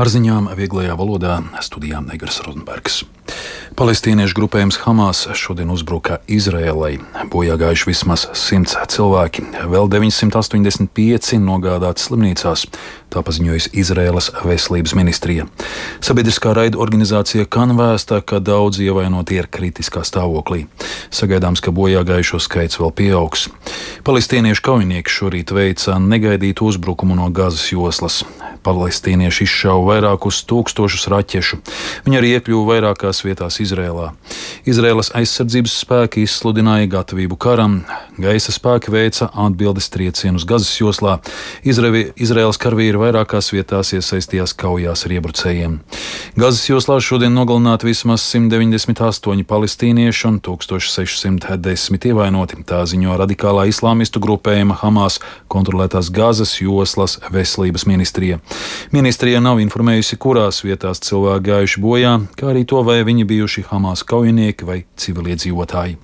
Ar ziņām vieglajā valodā studijā Negras Rozenbergs. Palestīniešu grupējums Hamas šodien uzbruka Izraēlai. Bojā gājuši vismaz 100 cilvēki, vēl 985 nogādāti slimnīcās. Tā paziņojusi Izraēlas veselības ministrija. Sabiedriskā raida organizācija Kan vēsta, ka daudzi ievainoti ir kritiskā stāvoklī. Sagaidāms, ka bojā gājušo skaits vēl pieaugs. Palestīniešu kaujinieki šorīt veica negaidītu uzbrukumu no Gazas joslas. Palestīnieši izšauja vairākus tūkstošus raķešu. Viņi arī iekļuva vairākās vietās Izrēlā. Izrēlas aizsardzības spēki izsludināja gatavību karam. Gaisa spēki veica atbildes triecienus Gazas joslā. Izrēlas karavīri vairākās vietās iesaistījās kaujās ar iebrucējiem. Gazas joslā šodien nogalināti vismaz 198 palestīnieši un 1610 ievainoti. Tā ziņo radikālā islāmistu grupējuma Hamas kontrolētās Gazas joslas veselības ministrija. Ministrija nav informējusi, kurās vietās cilvēki gājuši bojā, kā arī to, vai viņi bijuši Hamas kaujinieki vai civiliedzīvotāji.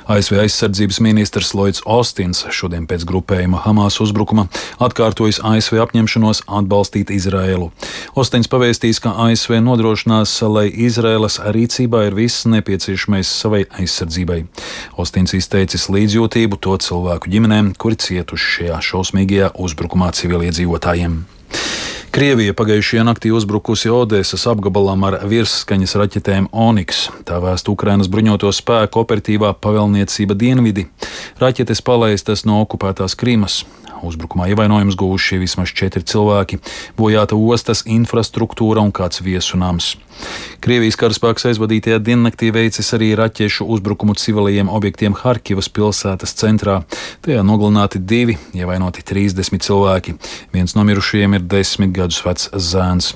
ASV aizsardzības ministrs Lloyds Austins šodien pēc grupējuma Hamas uzbrukuma atkārtojis ASV apņemšanos atbalstīt Izraēlu. Austins pavēstīs, ka ASV nodrošinās, lai Izraēlas rīcībā ir viss nepieciešamais savai aizsardzībai. Austins izteicis līdzjūtību to cilvēku ģimenēm, kuri cietuši šajā šausmīgajā uzbrukumā civiliedzīvotājiem. Krievija pagājušajā naktī uzbrukusi Odesas apgabalam ar virsskaņas raķetēm Oniks. Tā vēsta Ukrainas bruņoto spēku operatīvā pavēlniecība Dienvidi. Raķetes palaistas no okupētās Krimas. Uzbrukumā ievainojumus guvuši vismaz 4 cilvēki, bojāta ostas infrastruktūra un kāds viesunams. Krievijas karaspēks aizvadītajā diennaktī veicis arī raķešu uzbrukumu civilajiem objektiem Harkivas pilsētas centrā. Tajā nogalināti 2, ievainoti 30 cilvēki. Viens no mirušajiem ir 10 gadus vecs zēns.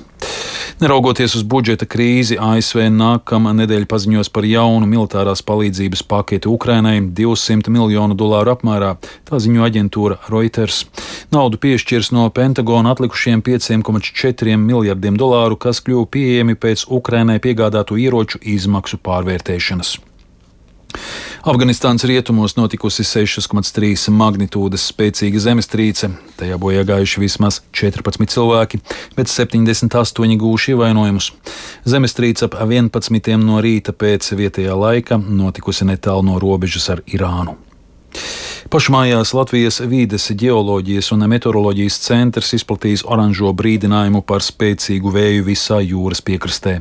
Neraugoties uz budžeta krīzi, ASV nākamā nedēļa paziņos par jaunu militārās palīdzības paketi Ukrainai $200 miljonu apmērā, tā ziņo aģentūra Reuters. Naudu piešķirs no Pentagona atlikušiem $5,4 miljardiem, kas kļuva pieejami pēc Ukrainai piegādātu ieroču izmaksu pārvērtēšanas. Afganistānas rietumos notikusi 6,3 magnitūdas spēcīga zemestrīce. Tajā bojā gājuši vismaz 14 cilvēki, bet 78 guvuši ievainojumus. Zemestrīce ap 11 no rīta pēc vietējā laika notikusi netālu no robežas ar Irānu. Pašmājās Latvijas Vīdes ģeoloģijas un meteoroloģijas centrs izplatījis oranžo brīdinājumu par spēcīgu vēju visā jūras piekrastē.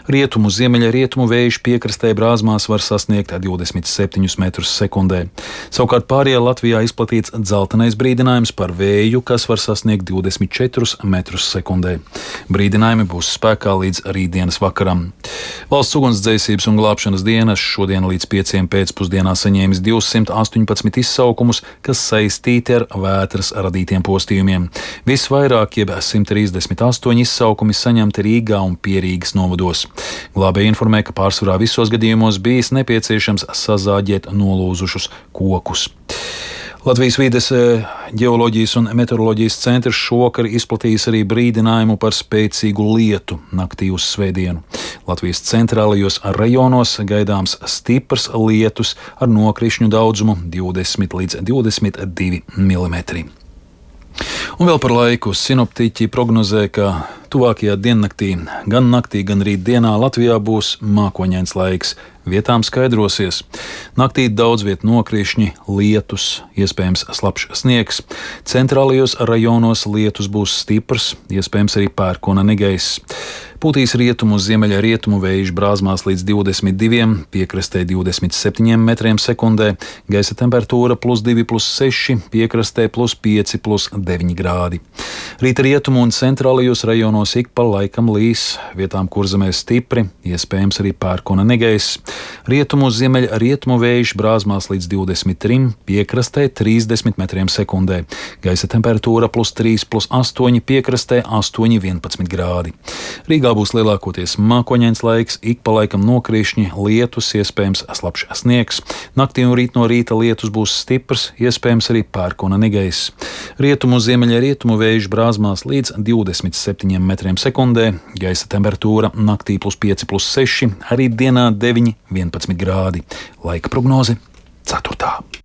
Rietumu, ziemeļrietumu vējš piekrastē Brāzmās var sasniegt 27 metrus sekundē. Savukārt pārējā Latvijā izplatīts dzeltenais brīdinājums par vēju, kas var sasniegt 24 metrus sekundē. Brīdinājumi būs spēkā līdz rītdienas vakaram. Valsts ugunsdzēsības un glābšanas dienas šodien līdz 5 pēcpusdienā saņēmis 218 izsaukumus, kas saistīti ar vētras radītiem postījumiem. Visvairāk, jeb 138 izsaukumi saņemti Rīgā un Pierīgas novados. Glābēji informē, ka pārsvarā visos gadījumos bijis nepieciešams sazāģēt nolūzušus kokus. Latvijas Vīdes ģeoloģijas un meteoroloģijas centrs šovakar izplatījis arī brīdinājumu par spēcīgu lietu naktī uz svētdienu. Latvijas centrālajos rajonos gaidāms stiprs lietus ar nokrišņu daudzumu 20 līdz 22 mm. Un vēl par laiku sinoptiķi prognozē, ka tuvākajā diennaktī, gan naktī, gan rītdienā Latvijā būs mākoņains laiks. Vietām skaidrosies. Naktī daudz viet nokrišņi, lietus, iespējams slapjš sniegs. Centrālajos rajonos lietus būs stiprs, iespējams arī pērkona negaiss. Pūtīs rietumu, ziemeļrietumu vējš Brāzmās līdz 22, piekrastē 27 metriem sekundē, gaisa temperatūra +2, +6, piekrastē +5, +9 grādi. Rīta rietumu un centrālajos rajonos ik pa laikam līs, vietām kurzemē stipri, iespējams arī pērkona negaiss. Rietumu, ziemeļrietumu vējš Brāzmās līdz 23, piekrastē 30 metriem sekundē, gaisa temperatūra +3, +8, piekrastē 8, 11 grādi. Rīgā būs lielākoties mākoņains laiks, ik pa laikam nokrišņi, lietus, iespējams slapjš sniegs. Naktī un rīt no rīta lietus būs stiprs, iespējams arī pērkona negaiss. Rietumu, ziemeļrietumu vējš Brāzmās līdz 27 metriem sekundē, gaisa temperatūra naktī +5, +6, arī dienā 9, 11 grādi. Laika prognoze 4.